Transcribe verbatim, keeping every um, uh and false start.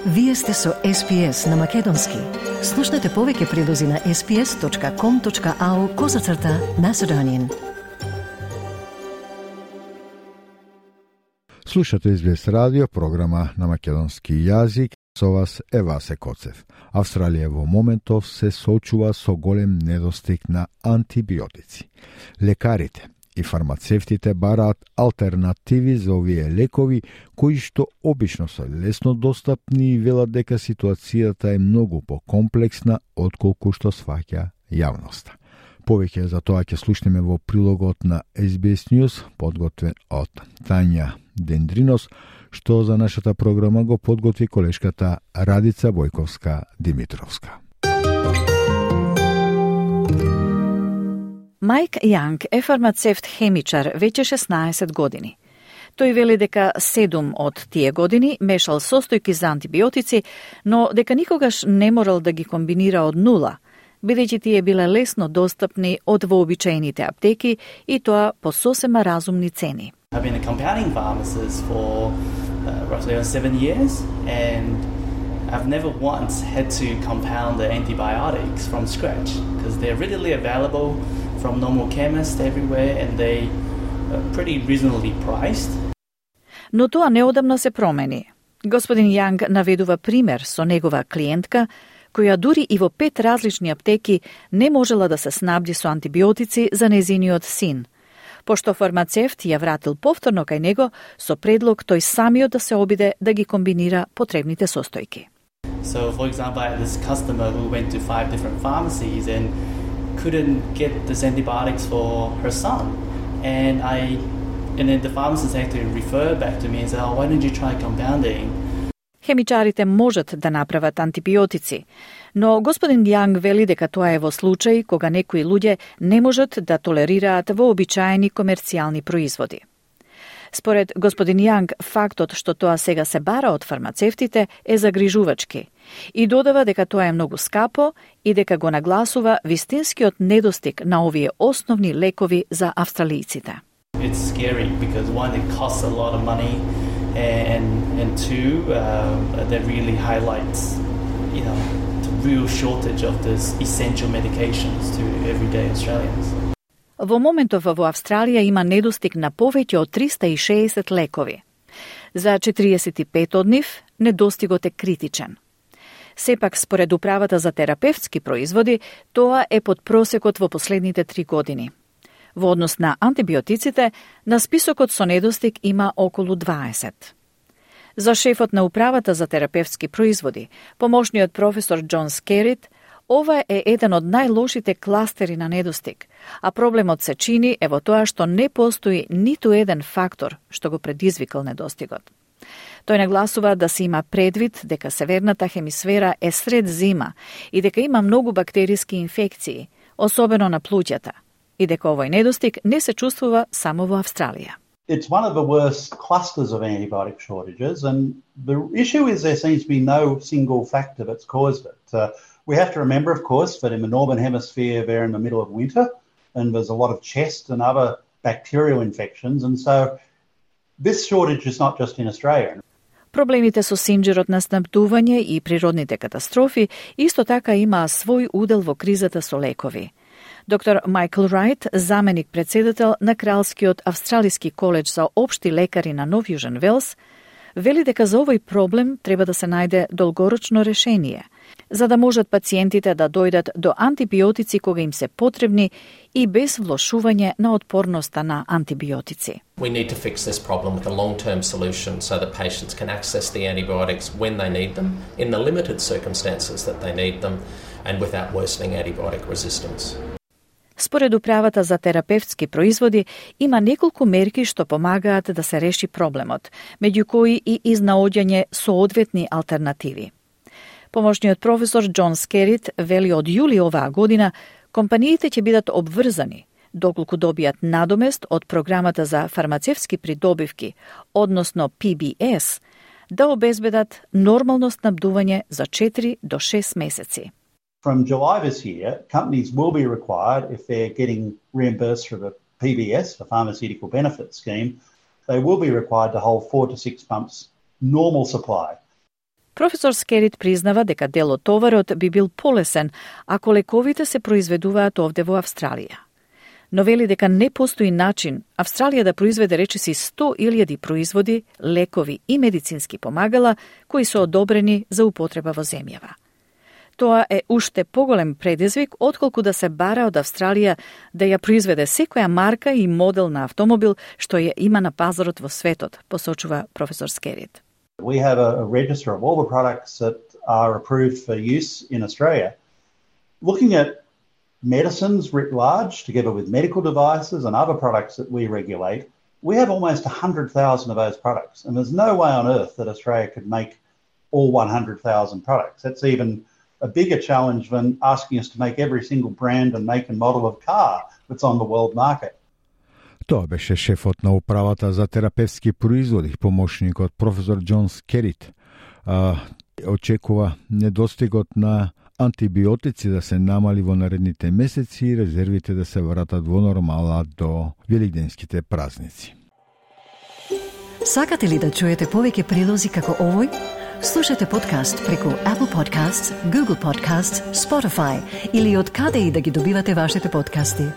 Вие сте со Ес Пи Ес на Македонски. Слушнете повеќе прилози на ес пи ес точка ком точка ау козацрта Macedonian. Слушате Ес Би Ес радио, програма на македонски јазик. Со вас е Васе Коцев. Австралија во моментов се соочува со голем недостиг на антибиотици. Лекарите и фармацевтите бараат алтернативи за овие лекови, кои што обично се лесно достапни и велат дека ситуацијата е многу покомплексна отколку што сваќа јавноста. Повеќе за тоа ќе слушнеме во прилогот на Ес Би Ес News, подготвен од Тања Дендринос, што за нашата програма го подготви колешката Радица Војковска-Димитровска. Мајк Јанг е фармацевт-хемичар веќе шеснаесет години. Тој вели дека седум од тие години мешал состојки за антибиотици, но дека никогаш не морал да ги комбинира од нула, бидејќи тие биле лесно достапни од вообичаените аптеки и тоа по сосема разумни цени. I've been a compounding pharmacist for uh, roughly seven years, and I've never once had to compound the antibiotics from scratch because they're readily available from normal chemists everywhere and they are pretty reasonably priced. Но тоа неодамна се промени. Господин Јанг наведува пример со негова клиентка, која дури и во пет различни аптеки не можела да се снабди со антибиотици за незиниот син, пошто фармацевт ја вратил повторно кај него со предлог тој самиот да се обиде да ги комбинира потребните состојки. So, for example, I had this customer who went to five different pharmacies and couldn't get this antibiotics for her son. And I, and then the pharmacist had to refer back to me and say, oh, why don't you try compounding? Хемичарите можат да направат антибиотици, но господин Јанг вели дека тоа е во случај кога некои луѓе не можат да толерираат вообичаени комерцијални производи. Според господин Јанг, фактот што тоа сега се бара од фармацевтите е загрижувачки и додава дека тоа е многу скапо и дека го нагласува вистинскиот недостиг на овие основни лекови за австралијците. It's scary because one, it costs a lot of money, and and two, uh, that really highlights, you know, the real shortage of this essential medications to everyday Australians. Во моментов во Австралија има недостиг на повеќе од триста и шеесет лекови. За четириесет и пет од нив недостигот е критичен. Сепак, според Управата за терапевтски производи, тоа е под просекот во последните три години. Во однос на антибиотиците, на списокот со недостиг има околу дваесет. За шефот на Управата за терапевтски производи, помошниот професор Џон Скерит, ова е еден од најлошите кластери на недостиг, а проблемот се чини е во тоа што не постои ниту еден фактор што го предизвикал недостигот. Тој нагласува да се има предвид дека северната хемисфера е сред зима и дека има многу бактериски инфекции, особено на плуќата, и дека овој недостиг не се чувствува само во Австралија. It's one of the worst clusters of antibiotic shortages, and the issue is there seems to be no single factor that's caused it. Uh, we have to remember, of course, that in the northern hemisphere they're in the middle of winter, and there's a lot of chest and other bacterial infections, and so this shortage is not just in Australia. Проблемите со синџерот на снабдување и природните катастрофи исто така имаа свој удел во кризата со лекови. Доктор Майкл Рајт, заменик председател на Кралскиот австралиски коледж за општи лекари на Нов Јужен Велс, вели дека за овој проблем треба да се најде долгорочно решение, за да можат пациентите да дојдат до антибиотици кога им се потребни и без влошување на отпорноста на антибиотици. We need to fix this problem with a long-term solution so that patients can access the antibiotics when they need them, in the limited circumstances that they need them, and without worsening antibiotic resistance. Според Управата за терапевтски производи, има неколку мерки што помагаат да се реши проблемот, меѓу кои и изнаоѓање соодветни алтернативи. Помошниот професор Џон Скерит вели од јули оваа година компаниите ќе бидат обврзани доколку добијат надомест од програмата за фармацевтски придобивки, односно Пи Би Ес, да обезбедат нормално снабдување за четири до шест месеци. From July this year, companies will be required, if they're getting reimbursed through the P B S, the Pharmaceutical Benefit Scheme, they will be required to hold four to six months normal supply. Професор Скерит признава дека дел од товарот би бил полесен ако лековите се произведуваат овде во Австралија. Но вели дека не постои начин Австралија да произведе речиси сто илјади производи, лекови и медицински помагала кои се одобрени за употреба во земјава. Тоа е уште поголем предизвик отколку да се бара од Австралија да ја произведе секоја марка и модел на автомобил што ја има на пазарот во светот, посочува професор Скерит. We have a, a register of all the products that are approved for use in Australia. Looking at medicines writ large, together with medical devices and other products that we regulate, we have almost one hundred thousand of those products. And there's no way on earth that Australia could make all one hundred thousand products. That's even a bigger challenge than asking us to make every single brand and make and model of car that's on the world market. Тоа беше шефот на управата за терапевски производи, помошникот професор Џон Скерит. А, очекува недостигот на антибиотици да се намали во наредните месеци и резервите да се вратат во нормала до велигденските празници. Сакате ли да чуете повеќе прилози како овој? Слушате подкаст преку Apple Podcasts, Google Podcasts, Spotify или од каде и да ги добивате вашите подкасти.